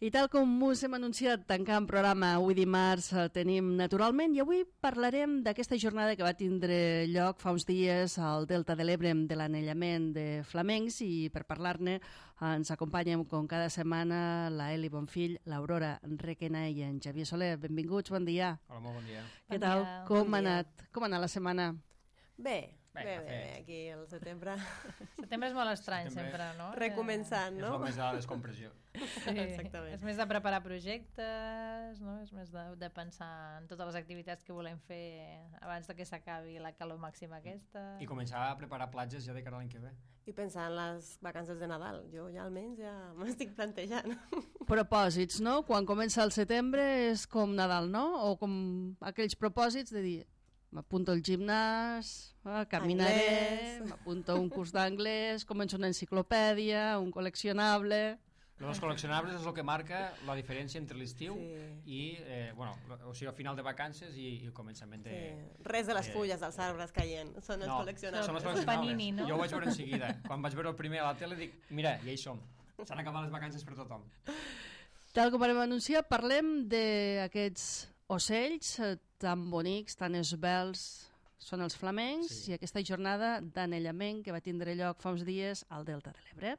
I tal com us hem anunciat tancant programa avui dimarts tenim naturalment i avui parlarem d'aquesta jornada que va tindre lloc fa uns dies al Delta de l'Ebre de l'anellament de flamencs i per parlar-ne ens acompanyen com cada setmana la Eli Bonfill, l'Aurora Requena i en Xavier Soler. Benvinguts, bon dia. Hola, molt bon dia. Què tal? Com ha anat? Com ha anat la setmana? Bé, aquí al setembre. Setembre és molt estrany sempre, no? Recomençant, no? És el mes de la descompressió. Sí, exactament. És més de preparar projectes, no? És més de pensar en totes les activitats que volem fer abans de que s'acabi la calor màxima aquesta. I començar a preparar platges ja de cara a l'any que ve. I pensar en les vacances de Nadal. Jo ja almenys ja m'estic plantejant. Propòsits, no? Quan comença el setembre és com Nadal, no? O com aquells propòsits de dir m'apunto al gimnàs, caminaré, m'apunto a un curs d'anglès, començo una enciclopèdia, un col·leccionable... Els col·leccionables és el que marca la diferència entre l'estiu i, o sigui, el final de vacances i el començament de... Sí. Res de les fulles dels arbres caient, són els col·leccionables. Són els col·leccionables. Panini, no? Jo ho vaig veure en seguida. Quan vaig veure el primer a la tele dic, mira, ja hi som. S'han acabat les vacances per tothom. Tal com vam anunciar, parlem d'aquests ocells tan bonics, tan esvelts, són els flamencs, i aquesta jornada d'anellament que va tindre lloc fa uns dies al Delta de l'Ebre.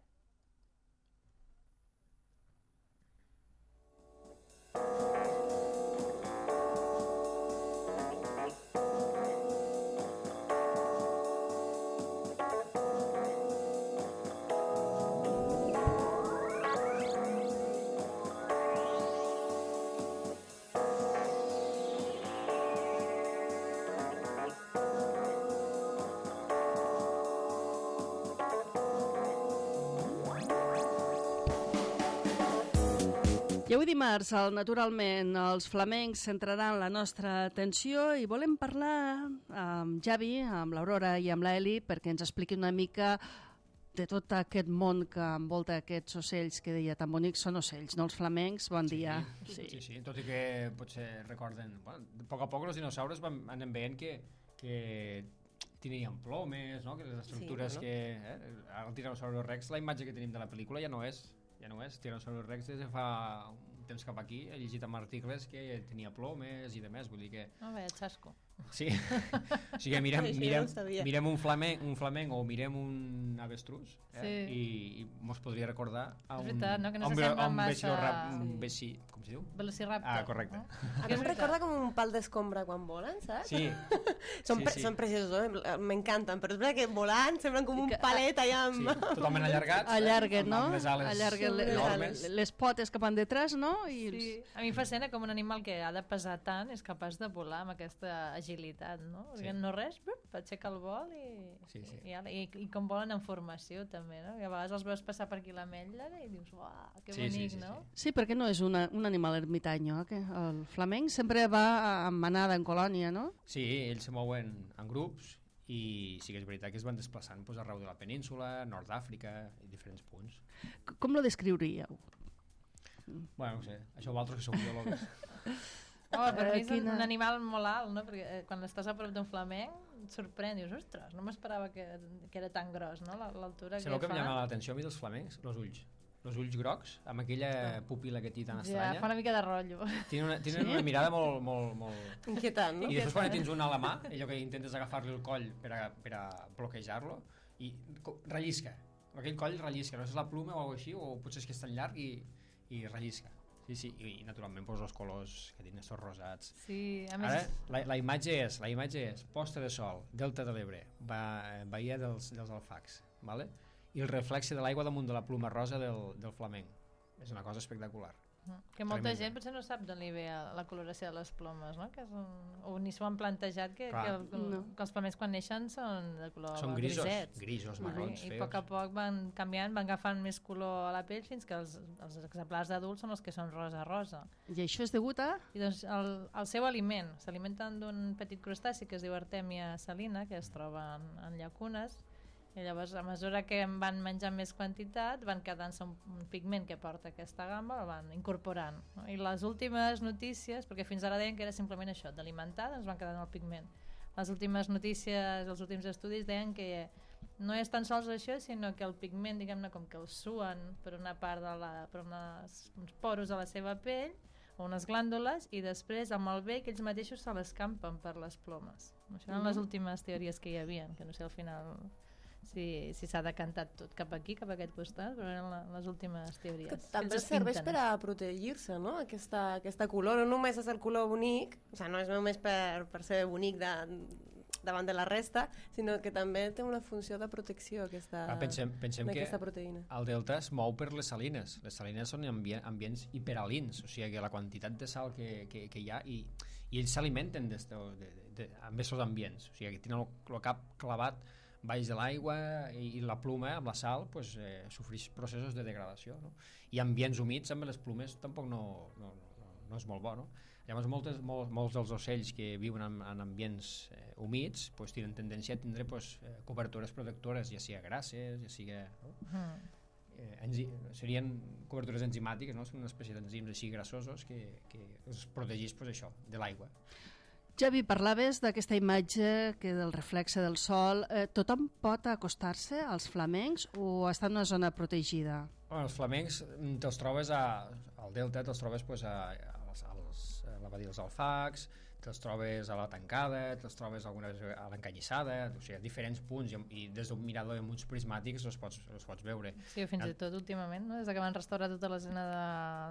I avui dimarts, naturalment, els flamencs centraran la nostra atenció i volem parlar amb Javi, amb l'Aurora i amb l'Eli perquè ens expliqui una mica de tot aquest món que envolta aquests ocells que deia tan bonics. Són ocells, no els flamencs? Bon dia. Sí, tot i que potser recorden... Bueno, a poc els dinosaures anem veient que tenien plomes, no? Que les estructures que... Ara el Tiranosaurio Rex, la imatge que tenim de la pel·lícula ja no és Tiranosaurio Rex des de fa un temps cap aquí. He llegit en articles que tenia plomes i demés, vull dir que... No, bé, xasco. Sí, o sigui, mirem un flamenc o mirem un avestrús i mos podria recordar a un... És veritat, no? Que no s'assembla massa... Com s'hi diu? Velociraptor. Ah, correcte. No? A mi em recorda com un pal d'escombra quan volen, saps? Sí. Són preciosos, m'encanten, però és veritat que volant semblen com un palet allà amb... Sí, totalment allargats. Allarguen, no? Amb les ales enormes. Les potes cap endetrás, no? Sí. A mi em fascina com un animal que ha de pesar tant és capaç de volar amb aquesta agilitat, no? Perquè no res, aixeca el vol i com volen en formació també, no? I a vegades els veus passar per aquí l'ametlla i dius, uah, que bonic, no? Sí, perquè no és un animal ermitany, no? El flamenc sempre va en manada, en colònia, no? Sí, ells se mouen en grups i sí que és veritat que es van desplaçant arreu de la península, nord d'Àfrica i diferents punts. Com lo descriuríeu? Bueno, no sé, això vosaltres que sou biòlegs. Per mi és un animal molt alt, no? Perquè quan estàs a prop d'un flamenc et sorprèn, dius, ostres, no m'esperava que era tan gros, no? L'altura que fa. Sabeu que em llama l'atenció a mi dels flamencs? Els ulls grocs, amb aquella pupil·la que té tan estranya. Ja, fa una mica de rotllo. Tenen una mirada molt... inquietant, no? I després quan tens un a la mà, allò que intentes agafar-li el coll per a bloquejar-lo, i rellisca. Aquell coll rellisca, no és la pluma o així, o potser és que és tan llarg i rellisca. Sí, i naturalment els colors que tenen estos rosats. Sí, a més... Ara, la imatge és posta de sol, Delta de l'Ebre, Baia dels Alfacs, ¿vale? I el reflexe de l'aigua damunt de la pluma rosa del flamenc. És una cosa espectacular. Que molta gent potser no sap d'on li ve la coloració de les plomes, no? Que o ni s'ho han plantejat que els flamencs quan neixen són de color grisets. Grisos, marrons, feos. I a poc van canviant, van agafant més color a la pell fins que els exemplars d'adults són els que són rosa. I això és degut a? I doncs el seu aliment. S'alimenten d'un petit crustaci que es diu Artemia salina, que es troba en llacunes, i llavors a mesura que en van menjant més quantitat van quedant-se un pigment que porta aquesta gamma, el van incorporant, no? I les últimes notícies, perquè fins ara deien que era simplement això, d'alimentar, ens van quedant el pigment. Les últimes notícies, els últims estudis deien que no és tan sols això, sinó que el pigment, diguem-ne, com que el suen per una part per uns poros de la seva pell o unes glàndules, i després amb el bec ells mateixos se l'escampen per les plomes. Això eren les últimes teories que hi havia, que no sé al final si s'ha decantat tot cap aquí, cap a aquest costat, però eren les últimes teories. Que també serveix per a protegir-se, no? Aquesta color, no només és el color bonic, o sigui, no és només per ser bonic davant de la resta, sinó que també té una funció de protecció aquesta proteïna. El delta es mou per les salines. Les salines són ambients hiperalins, o sigui que la quantitat de sal que hi ha, i ells s'alimenten amb aquests ambients, o sigui que tenen el cap clavat baix de l'aigua, i la pluma amb la sal sofreix processos de degradació, no? I ambients humits amb les plumes tampoc no és molt bo, no? Llavors molts dels ocells que viuen en ambients humits tenen tendència a tindre cobertures protectores, ja sigui grasses, ja sigui... serien cobertures enzimàtiques, no? Són una espècie d'enzims així grassosos que els protegís això, de l'aigua. Javi, parlaves d'aquesta imatge que del reflexe del sol. Tothom pot acostar-se als flamencs o està en una zona protegida? Els flamencs te'ls trobes al delta, te'ls trobes a la badia dels Alfacs, te'ls trobes a la Tancada, te'ls trobes algunes a l'Encanyissada, o sigui, a diferents punts, i des d'un mirador amb uns prismàtics els pots veure. Sí, fins i tot últimament, no? Des que van restaurar tota la zona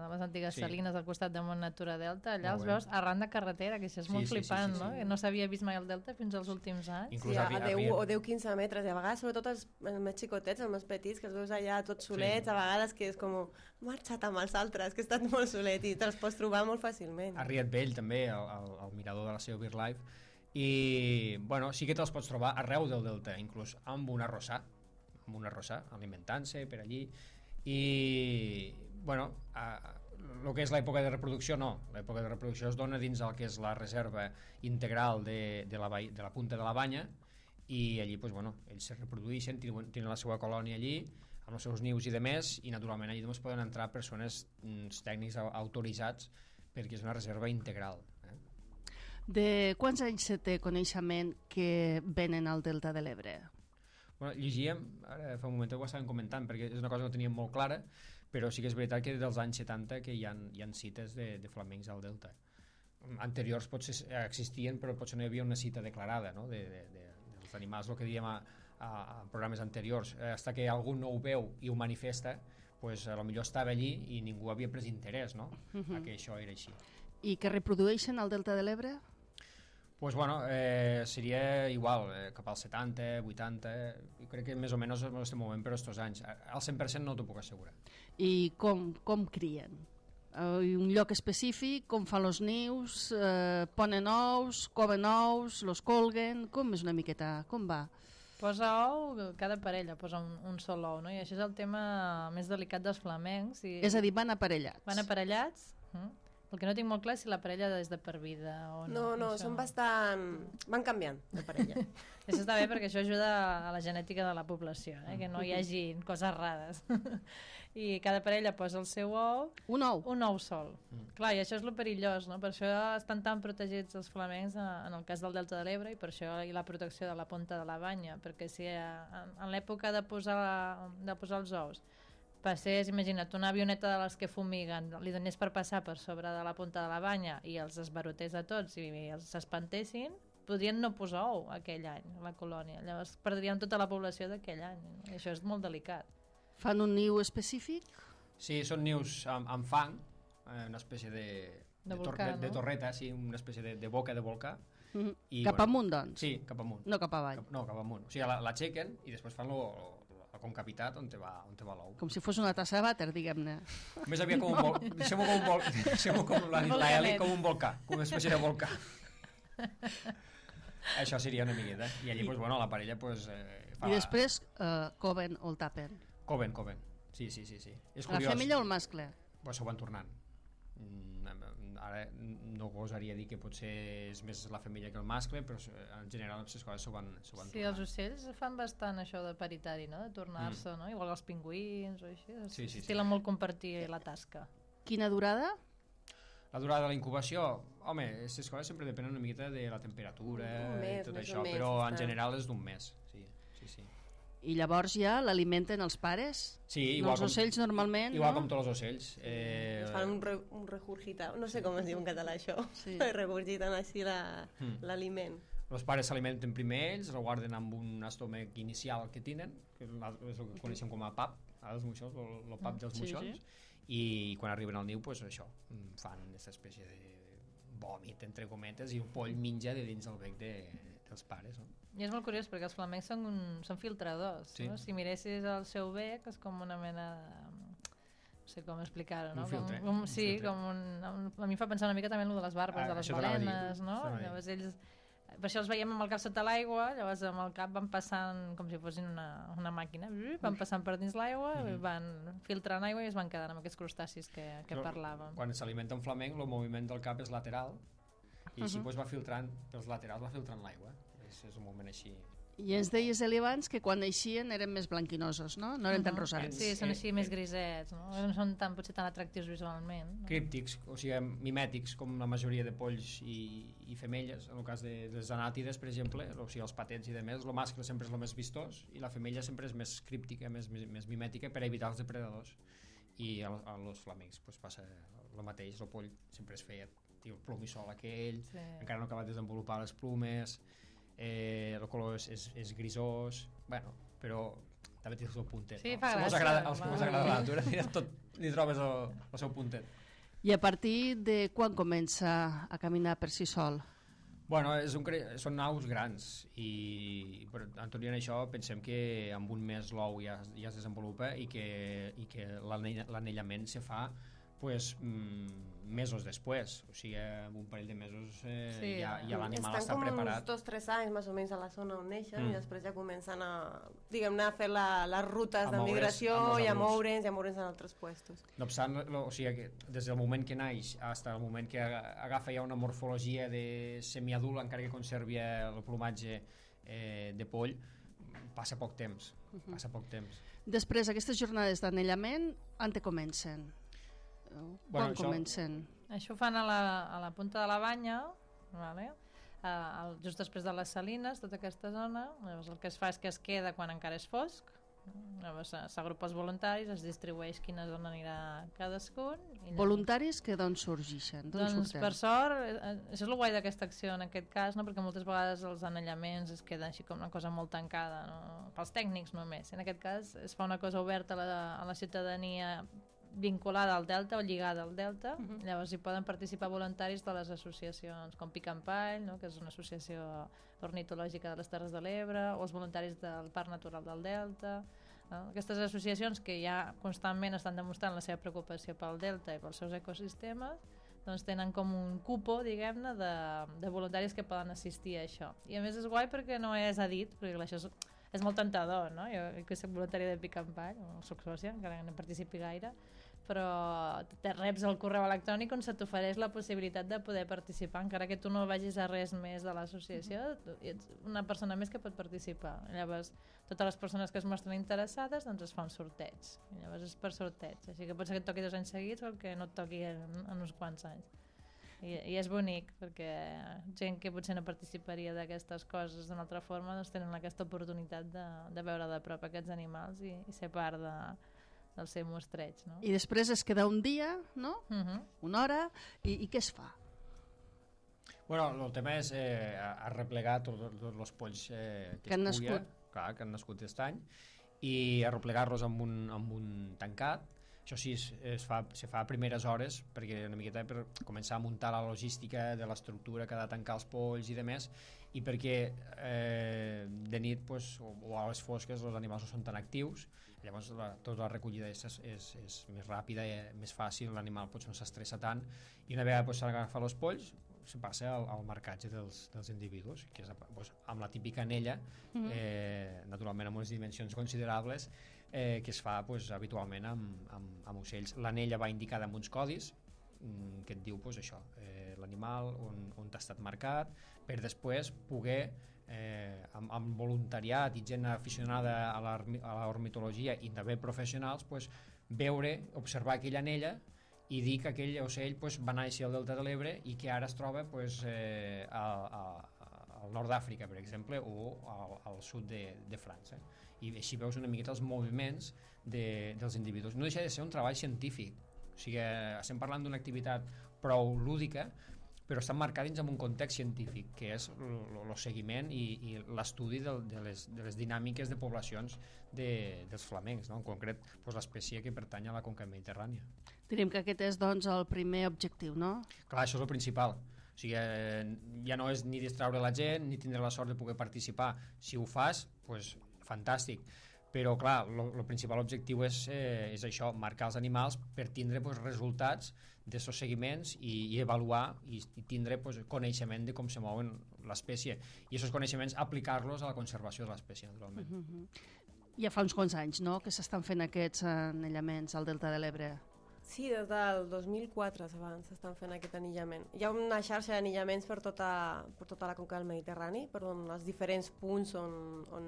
de les antigues salines al costat de Mont Natura Delta, allà els veus arran de carretera, que això és molt flipant, no? No s'havia vist mai el Delta fins als últims anys. Sí, a 10 o 10-15 metres, i a vegades, sobretot els més xicotets, els més petits, que els veus allà tots solets, a vegades que és com marxat amb els altres, que he estat molt solet, i te'ls pots trobar molt fàcilment. A Riet Vell també, al mirador de la seva BirdLife, i sí que te'ls pots trobar arreu del delta, inclús amb una rossà, alimentant-se per allí, i el que és l'època de reproducció l'època de reproducció es dona dins el que és la reserva integral de la punta de la Banya, i allí ells se reprodueixen, tenen la seva colònia allí amb els seus nius i demés, i naturalment allí poden entrar persones, tècnics autoritzats, perquè és una reserva integral. De quants anys se té coneixement que venen al Delta de l'Ebre? Llegíem, ara fa un moment ho estàvem comentant, perquè és una cosa que no teníem molt clara, però sí que és veritat que dels anys 70 que hi ha cites de flamencs al Delta. Anteriors potser existien, però potser no hi havia una cita declarada, no? dels animals, el que dèiem a programes anteriors, fins que algú no ho veu i ho manifesta, potser estava allí i ningú havia pres interès, no? A que això era així. I que reprodueixen al Delta de l'Ebre? Seria igual, cap als 70, 80, i crec que més o menys ens estem movent per aquests anys. Al 100% no t'ho puc assegurar. I com crien? Un lloc específic, com fan els nius, ponen ous, coven ous, los colguen, com és una miqueta, com va? Posa ou, cada parella posa un sol ou, no? I això és el tema més delicat dels flamencs. És a dir, van aparellats? Van aparellats. El que no tinc molt clar és si la parella és de per vida o no. No, són bastant... van canviant de parella. Això està bé perquè això ajuda a la genètica de la població, que no hi hagi coses rares. I cada parella posa el seu ou. Un ou? Un ou sol. Clar, i això és lo perillós, no? Per això estan tan protegits els flamencs en el cas del Delta de l'Ebre, i per això hi ha la protecció de la punta de la Banya, perquè si en l'època de posar els ous passés, imagina't, una avioneta de les que fumiguen, li donés per passar per sobre de la punta de la Banya i els esbarotés a tots i els s'espantessin, podrien no posar ou aquell any a la colònia. Llavors perdrien tota la població d'aquell any. I això és molt delicat. Fan un niu específic? Sí, són nius amb fang, una espècie de torreta, sí, una espècie de boca de volcà. Cap amunt, doncs? Sí, cap amunt. No cap avall? No, cap amunt. O sigui, l'aixequen i després fan el concapitat on te va l'ou. Com si fos una tassa de vàter, diguem-ne. Més aviat com un volcà. Deixem-ho com l'Eli, com un volcà, com una espècie de volcà. Això seria una miqueta. I allí, la parella I després coven o el tapen? Coven. Sí. És la femella o el mascle? S'ho van tornant. Ara no gosaria dir que potser és més la femella que el mascle, però en general les coses s'ho van tornant. Sí, els ocells fan bastant això de paritari, no? De tornar-se, no? Igual els pingüins o així. Sí. Estilen molt compartir la tasca. Quina durada? La durada de la incubació, aquestes coses sempre depenen una miqueta de la temperatura i tot això, però en general és d'un mes. Sí. I llavors ja l'alimenten els pares? Sí, igual els ocells normalment, igual no? com tots els ocells. Es fan un regurgitar, no sé com es diu en català això, Sí. regurgiten així l'aliment. Els pares s'alimenten primer ells, el guarden amb un estómac inicial que tenen, que és el que coneixem com a pap, els moixons, el pap dels moixons, i quan arriben al niu, pues, això, fan aquesta espècie de vòmit, entre cometes, i el poll menja de dins el bec dels pares, no? I és molt curiós perquè els flamencs són filtradors, Sí. no? Si miressis el seu bec és com una mena de... no sé com explicar-ho, no? Un filtre. Sí, filtre. a mi em fa pensar una mica també en el de les barbes de les això t'anava a dir. balenes, no? Llavors ells, per això els veiem amb el cap sota l'aigua, llavors amb el cap van passant com si fossin una màquina, van passant per dins l'aigua, van filtrant aigua i es van quedant amb aquests crustacis que parlàvem. Quan s'alimenta un flamenc, el moviment del cap és lateral, i així pues, va filtrant, pels laterals va filtrant l'aigua. És un moment així. I ens deies, Eli, abans que quan eixien eren més blanquinosos, no? No eren tan rosats. Sí, són així més grisets, no? No són potser tan atractius visualment. No? Críptics, o sigui, mimètics, com la majoria de polls i femelles. En el cas de les anàtides, per exemple, o sigui, els patents i demés, el mascle sempre és el més vistós i la femella sempre és més críptica, més mimètica per evitar els depredadors. I a los flamencs pues, passa el mateix, el poll sempre es feia el plomissol aquell, encara no ha acabat de desenvolupar les plumes, el color és grisós, bueno, però també té el seu puntet. Sí, no? fa gràcia. Els que us agrada la natura, tot li trobes el seu puntet. I a partir de quan comença a caminar per si sol? Bueno, són aus grans i en tot i en això pensem que en un mes l'ou ja es desenvolupa i que l'anellament se fa pues, mesos després, o sigui, en un parell de mesos ja l'animal està preparat. Estan com uns 2-3 anys més o menys a la zona on neixen i després ja comencen a, diguem-ne, a fer les rutes de migració i a moure'ns en altres puestos. No obstant, o sigui, que des del moment que naix fins al moment que agafa ja una morfologia de semiadult, encara que conservi el plomatge de poll, passa poc temps. Després, aquestes jornades d'anellament, on te comencen? Quan comencen? Això ho fan a la punta de la banya, vale? Just després de les salines, tota aquesta zona. Llavors el que es fa és que es queda quan encara és fosc, llavors s'agrupa els voluntaris, es distribueix quina zona anirà cadascun. Voluntaris que d'on sorgeixen? Doncs per sort, això és el guai d'aquesta acció en aquest cas, no? Perquè moltes vegades els anellaments es queden així com una cosa molt tancada, no? Pels tècnics només. En aquest cas es fa una cosa oberta a la ciutadania vinculada al delta o lligada al delta. Llavors hi poden participar voluntaris de les associacions com Pic en Pall, no? Que és una associació ornitològica de les Terres de l'Ebre, o els voluntaris del Parc Natural del Delta, no? Aquestes associacions que ja constantment estan demostrant la seva preocupació pel delta i pels seus ecosistemes, doncs tenen com un cupo, diguem-ne, de voluntaris que poden assistir a això. I a més és guai perquè no és a dit, perquè això és molt tentador, no? Jo que soc voluntària de Pic en Pall, o soc sòcia, encara no participi gaire, però te reps el correu electrònic on se t'ofereix la possibilitat de poder participar, encara que tu no vagis a res més de l'associació, ets una persona més que pot participar. Llavors, totes les persones que es mostren interessades, doncs es fa un sorteig. I llavors és per sorteig, així que pot ser que et toqui 2 anys seguits o que no et toqui en uns quants anys. I és bonic, perquè gent que potser no participaria d'aquestes coses d'una altra forma, doncs tenen aquesta oportunitat de veure de prop aquests animals i ser part del seu mostreig, no? I després es queda un dia, no? Una hora, i què es fa? Bueno, el tema és arreplegar tots els polls que han es pugui, nascut. Clar, que han nascut aquest any, i arreplegar-los amb un tancat. Això sí, se fa a primeres hores, perquè una miqueta per començar a muntar la logística de l'estructura que ha de tancar els polls i demés, i perquè de nit pues, o a les fosques els animals no són tan actius, llavors tota la recollida és més ràpida, més fàcil, l'animal no s'estressa tant, i una vegada s'han agafat els polls se passa al marcatge dels individus, que és amb la típica anella, naturalment amb unes dimensions considerables, que es fa habitualment amb ocells. L'anella va indicada amb uns codis que et diu això, l'animal on t'ha estat marcat, per després poder amb voluntariat i gent aficionada a l'ornitologia i també professionals veure, observar aquella anella i dir que aquell ocell va néixer al Delta de l'Ebre i que ara es troba a al nord d'Àfrica, per exemple, o al sud de França. I així veus una miqueta els moviments dels individus. No deixa de ser un treball científic, o sigui, estem parlant d'una activitat prou lúdica, però està marcada dins en un context científic, que és el seguiment i l'estudi de les dinàmiques de poblacions dels flamencs, no? En concret, l'espècie que pertany a la conca mediterrània. Diríem que aquest és, doncs, el primer objectiu, no? Clar, això és el principal. O sigui, ja no és ni distreure la gent, ni tindre la sort de poder participar. Si ho fas, doncs, fantàstic. Però, clar, el principal objectiu és això, marcar els animals per tindre resultats d'aquests seguiments i avaluar i tindre coneixement de com se mouen l'espècie. I aquests coneixements aplicar-los a la conservació de l'espècie, naturalment. Ja fa uns quants anys, no?, que s'estan fent aquests anellaments al Delta de l'Ebre. Sí, des del 2004 s'estan fent aquest anillament. Hi ha una xarxa d'anillaments per tota la conca del Mediterrani, per els diferents punts on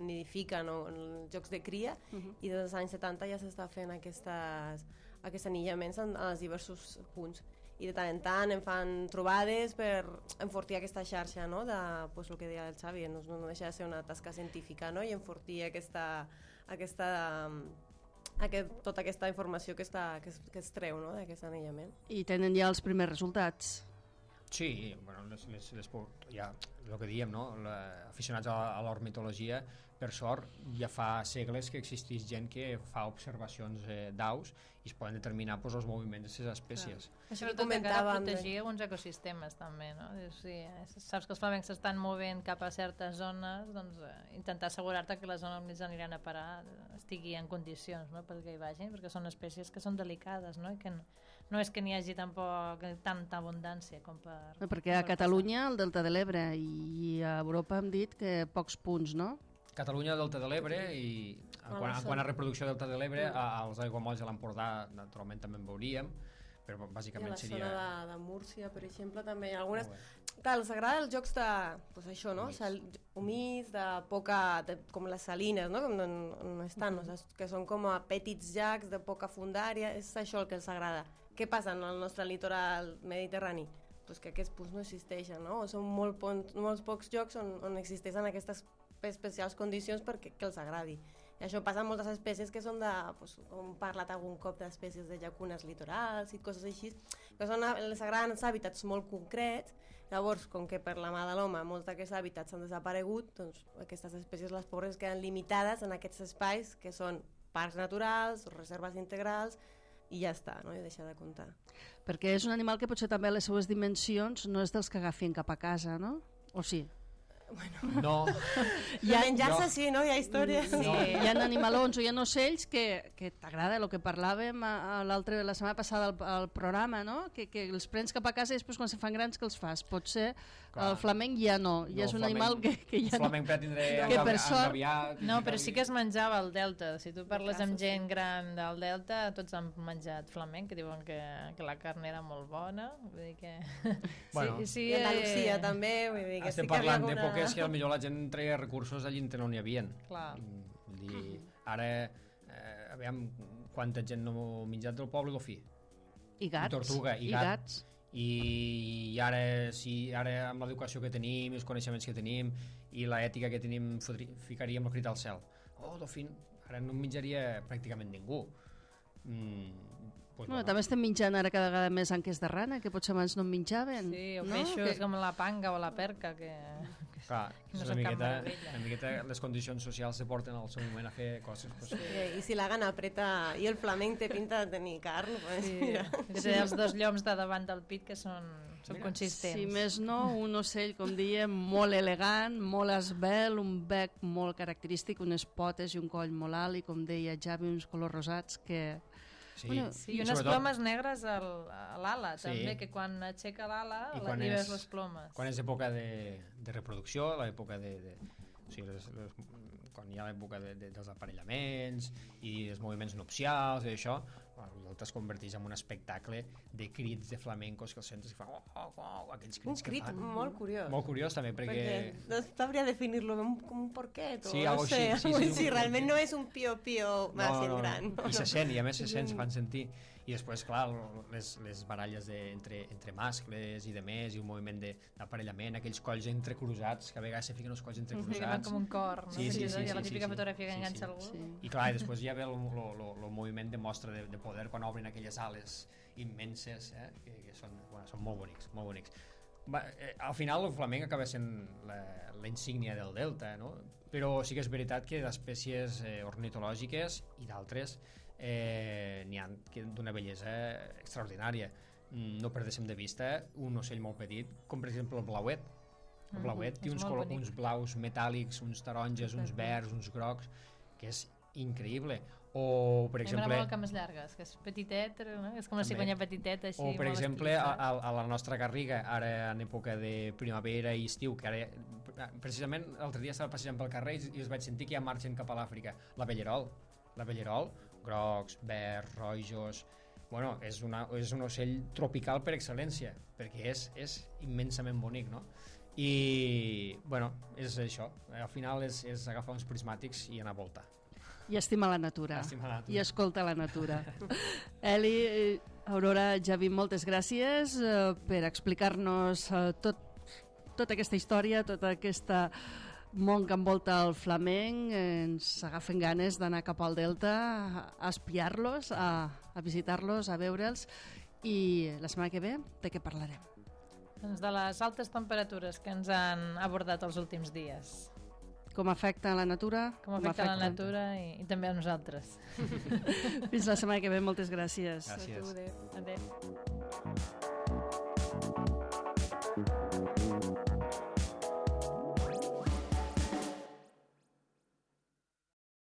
nidifiquen o els llocs de cria, i des dels anys 70 ja s'està fent aquests anillaments en els diversos punts. I de tant en tant em fan trobades per enfortir aquesta xarxa, no? El que deia el Xavi, no deixa de ser una tasca científica, no? I enfortir tota aquesta informació que es treu, no? D'aquest anellament. I tenen ja els primers resultats. Sí, bueno, ja el que diem, no? Aficionats a l'ornitologia, per sort, ja fa segles que existeix gent que fa observacions d'aus i es poden determinar els moviments de les espècies. Això comentava protegir alguns ecosistemes també, no? Si saps que els flamencs s'estan movent cap a certes zones, doncs intentar assegurar-te que la zona on ells aniran a parar estigui en condicions, no?, perquè hi vagin, perquè són espècies que són delicades, no? I que no és que n'hi hagi tampoc tanta abundància com per... Perquè a Catalunya, al Delta de l'Ebre, i a Europa hem dit que pocs punts, no? Catalunya, Delta de l'Ebre, i quant a reproducció del Delta de l'Ebre, als aiguamolls de l'Empordà naturalment també en veuríem, però bàsicament seria... I a la zona de Múrcia, per exemple, també hi ha algunes... Clar, els agrada els jocs de... Pues això, no? Humits, de poca... com les salines, no? On estan, que són com a petits llacs de poca fundària, és això el que els agrada. Què passa en el nostre litoral mediterrani? Pues que aquests punts no existeixen, no? O són molts pocs llocs on existeixen aquestes especials condicions perquè els agradi. I això passa amb moltes espècies que són com hem parlat algun cop d'espècies de llacunes litorals i coses així, que els agraden els hàbitats molt concrets. Llavors, com que per la mà de l'home molts d'aquests hàbitats han desaparegut, doncs aquestes espècies, les pobres, queden limitades en aquests espais que són parcs naturals, reserves integrals, i ja està, no? I deixar de comptar. Perquè és un animal que potser també a les seues dimensions no és dels que agafin cap a casa, no? O sí? Bueno. No. Menjar-se sí, no? Hi ha històries. Sí. Hi ha animalons o hi ha ocells que t'agrada, el que parlàvem la setmana passada al programa, no? Que els prens cap a casa i després quan se fan grans que els fas. Potser el flamenc ja no, ja és un animal que ja no. El flamenc tindré engaviat. No, però sí que es menjava al Delta. Si tu parles amb gent gran del Delta, tots han menjat flamenc, que diuen que la carn era molt bona. Vull dir que... Bueno, sí, i Andalusia també, vull dir que estem parlant d'èpoques que potser la gent treia recursos allí on no n'hi havia. Clar. Vull dir, ara, aviam quanta gent no ha menjat del poble d'Ofí. I gats. Tortuga, i gats. I ara, ara amb l'educació que tenim, els coneixements que tenim i l'ètica que tenim, ficaríem el crit al cel. D'Ofí, ara no en menjaria pràcticament ningú. També estem menjant ara cada vegada més anques de rana, que potser abans no en menjaven. Sí, o peixos com la panga o la perca, que... Clar, no una miqueta les condicions socials se porten al seu moment a fer coses. Sí, i si la gana apreta i el flamenc té pinta de tenir carn, pues mira. Sí, els dos lloms de davant del pit que són consistents. Si més no, un ocell, com diem, molt elegant, molt esvelt, un bec molt característic, unes potes i un coll molt alt i, com deia Javi, uns colors rosats que... Sí, i unes plomes negres a l'ala, també, que quan aixeca l'ala li veus les plomes. Quan és època de reproducció, l'època quan hi ha l'època dels aparellaments i els moviments nupcials i això, es converteix en un espectacle de crits de flamencos que els sents i fa aquells crits un crit molt curiós. Molt curiós també, perquè no sabria definir-lo com un porquet o sí, no sé, sí, realment no és un pio-pio massa gran. I se sent, i a més se sent, se fan sentir. I després, clar, les baralles entre mascles i de més, i un moviment d'aparellament, aquells colls entrecruzats, que a vegades se fiquen els colls entrecruzats. Com un cor, no? Sí, la típica fotografia que enganxa algú. I clar, i després ja ve el moviment de mostra de poder quan obren aquelles ales immenses, que són molt bonics, molt bonics. Al final el flamenc acaba sent la insígnia del delta, no? Però sí que és veritat que d'espècies ornitològiques i d'altres n'hi ha d'una bellesa extraordinària. No perdéssim de vista un ocell molt petit, com per exemple el blauet. El blauet té uns blaus metàl·lics, uns taronges, uns verds, uns grocs, que és increïble. O, per exemple... M'agrada molt cames llargues, que és petitet, no? És com la cigonyia petiteta, així. O, per exemple, a la nostra garriga, ara en època de primavera i estiu, que ara, precisament, l'altre dia estava passejant pel carrer i es vaig sentir que ja marxen cap a l'Àfrica. La bellerol, grocs, verds, rojos... Bueno, és un ocell tropical per excel·lència, perquè és immensament bonic, no? I, bueno, és això. Al final és agafar uns prismàtics i anar a voltar. I estima la natura. I escolta la natura. Eli, Aurora, Javi, moltes gràcies per explicar-nos tota aquesta història, tot aquest món que envolta el flamenc. Ens agafen ganes d'anar cap al Delta a espiar-los, a visitar-los, a veure'ls. I la setmana que ve, de què parlarem? Doncs de les altes temperatures que ens han abordat els últims dies. Com afecta la natura? Com afecta la natura i també a nosaltres. Fins la setmana que ve, moltes gràcies. Gràcies. Adéu.